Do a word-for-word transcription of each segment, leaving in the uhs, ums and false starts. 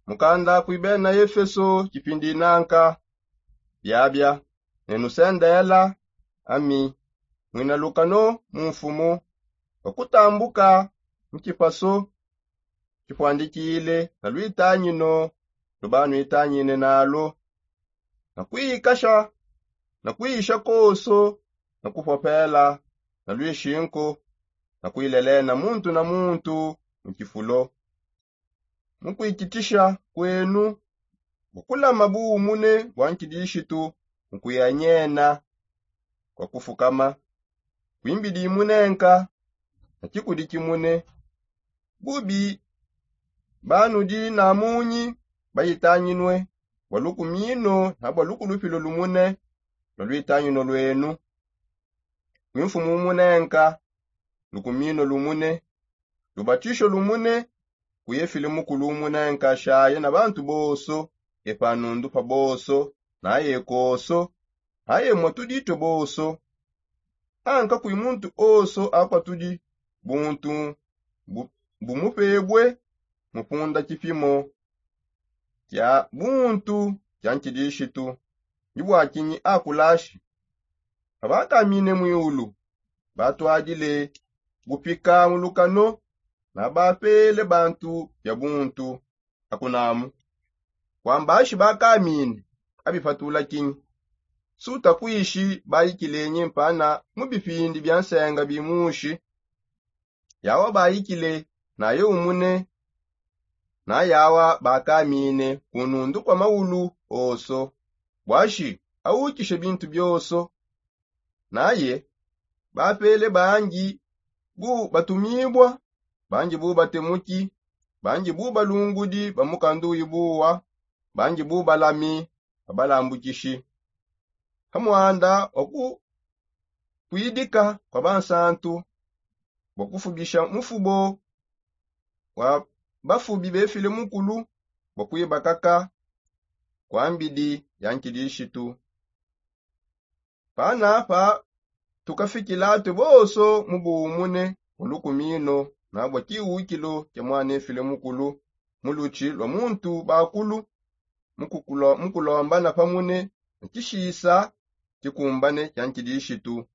Mukanda kui bena efeso kipindi nanka. Biabia, ne nusendela ami mwina lukano mu mfumu, wakutambuka mu kipaso kipwandikile na lwitangino lubanwitangine nalo, na kuikasha na kuisha koso na kupopela na lwishinku, na kuilelena muntu na muntu mu kifulo, mu kuikitisha kwenu mu kulama buumune bwa nkidishitu mu kuianyena kwa kufukama kwimbidi munenka na kikudi kimune. Bubi banudi na munyi bayitanginue bwa lukumino na bwa lukulupilo lumune lwa lwitangino lwenu. Kwimfumu umunenka lukumino lumune, lubatisho lumune, kuyefile mukulu umunenka shaye na bantu boso, epanundu pa boso, naye koso, naye mwatudi twe boso. Anka kwi muntu oso akwa tudi buntu bu- bumupebwe mupunda kipimo kya buntu kya nkidishitu. Ndi bwakinyi akulashi abakamine mwiulu batwadile bupika mulukano na bapele bantu bya buntu akunamu? Kwambashi bakamine abipatula kinyi? Suta kwishi bayikilenyi mpana mu bipindi bya nsenga bimushi yawa bayikile naye umune, nayawa bakamine kunundu kwa maulu oso bwashi awukishe bintu byoso. Naye bapele bangi bu batumibwa, bangi bu batemuki, bangi bu balungudi ba mukanduyi buwa, bangi bu balami ba balambukishi, ha mwanda wa kukwidika kwa bansantu bwa kufubisha mufubo wa bafubi befile mukulu bwa kwibakaka kwa mbidi ya nkidishitu. Panapa tukafikila twe boso mu buumune mu lukumino na bwa kiwukilo kya mwana efile mukulu mu lutshi lwa muntu bakulu, mu kukulo- mu kulombana pamune na kishisa kikumbane kya nkidishitu.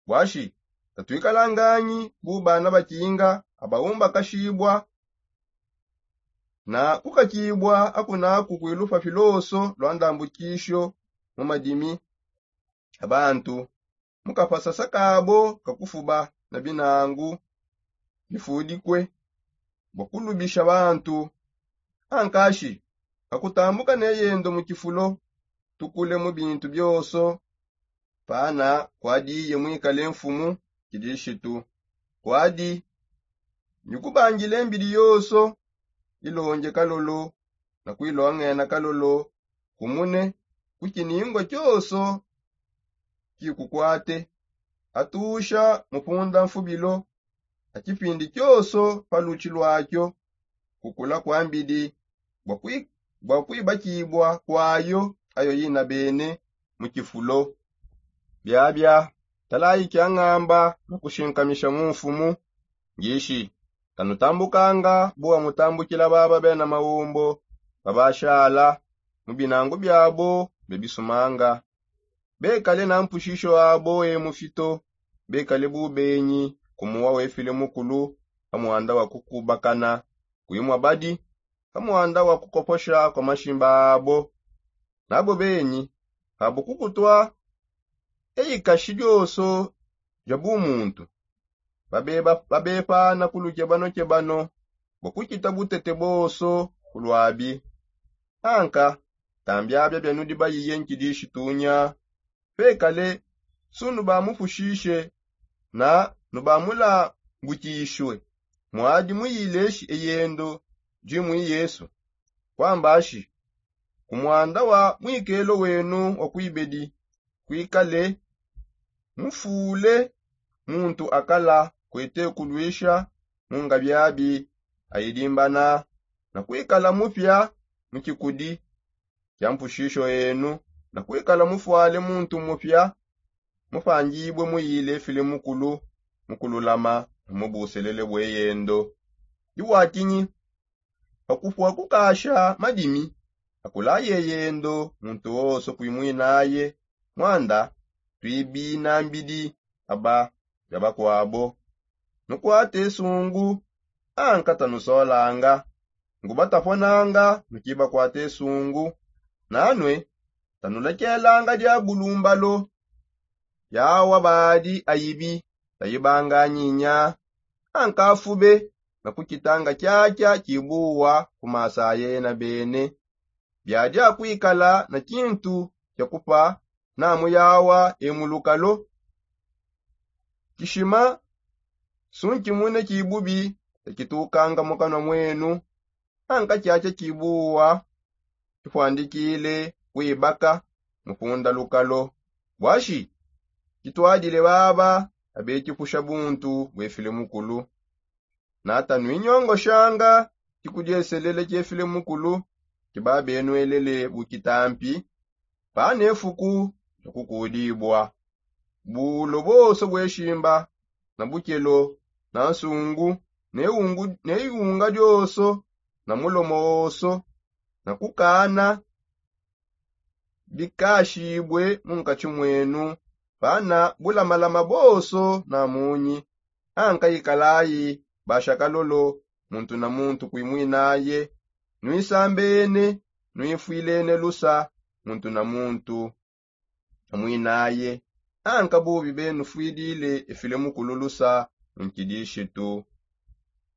Bwashi tatwikalanganyi bu bana bakinga abaumbakashibwa na kukakibwa akunaku kwilupa filoso lwa ndambukisho mu madimi a bantu mu kapasasa kabo kakufuba na binangu bifudikwe bwa kulubisha bantu. Ankashi akutambuka ne yendo mu kifulo tukule mu bintu byoso pana kwadiye mwikale mfumu kidishitu kwadi nyukubangile mbidi yoso ilonge kalolo na kwilongena kalolo kumune ku kiningwa kyoso kikukwate atusha mupunda mfubilo a kipindi kyoso pa lutshi lwakyo kukula kwa mbidi bwa kwi- bwa kwibakibwa kwayo ayo yina bene mu kifulo. Biabia talayi kya ngamba na kushinkamisha mu mfumu ngishi kanutambukanga bu wamutambukila baba bena maumbo babashala mu binangu biabo bebisumanga bekale na mpushisho abo e mufito bekale bubenyi kumuwa wefile mukulu pa mwanda wa kukubakana kwimwa badi pa mwanda wa kukoposha kwa mashimba abo nabo benyi abo kukutwa eyikashi dyoso dya bumuntu babepana ku lukebano-kebano bwa kukita butete boso ku lwabi. Anka tambiabia bia nudi bayiye nkidishitunya pekale su nubamupushishe na nubamulangukishwe mwadi muyileshi eyendo jimwi yesu kwambashi ku mwanda wa mwikelo wenu wa kwibedi kwikale mufule muntu akala kwete kulwisha mu ngabiabi ayidimbana na kwikala mupya mu kikudi kya mpushisho enu na kwikala mufwale muntu mupya mupangibwe muyile file mukulu mu kululama na mu buselele bweyendo. Iwakinyi Pakufua kukasha madimi akula yeyendo muntu woso kuimwinaye. Mwanda tuibina mbidi aba bia bakuabo. Nukuate sungu anka tanusolanga. Nguba taponanga nukibakuate sungu. Nanue tanulekelanga dia bulumbalo. Yawa badi ayibi tayibanga nyinya. Anka fube na kukitanga kiakia kibuwa ku masa yena bene. Biadi akuikala na kintu kia kupa namu yawa emulukalo. Kishima sunkimune kibubi takitukanga mukanwa mwenu. Anka kiakia kibuwa kifuandikile kuibaka mupunda lukalo. Bwashi kituadile baba abekipusha buntu bwefile mukulu. Nata nuinyongoshanga kikudieselele kiefile mukulu kibabenuelele bukitampi. Pane fuku nakukudibua bulo boso bweshimba na bukelo na nsungu ne iunga dioso na mulomo woso na kukana bikashibue mu nkatshi mwenu. Pana bulamalama boso na munyi. Anka ikalayi bashakalolo muntu na muntu kuimwinaye. Nuisambene nuifwilene lusa muntu na muntu amwinaye. Anka bubi benufuidile efile mukulu lusa mu nkidishitu.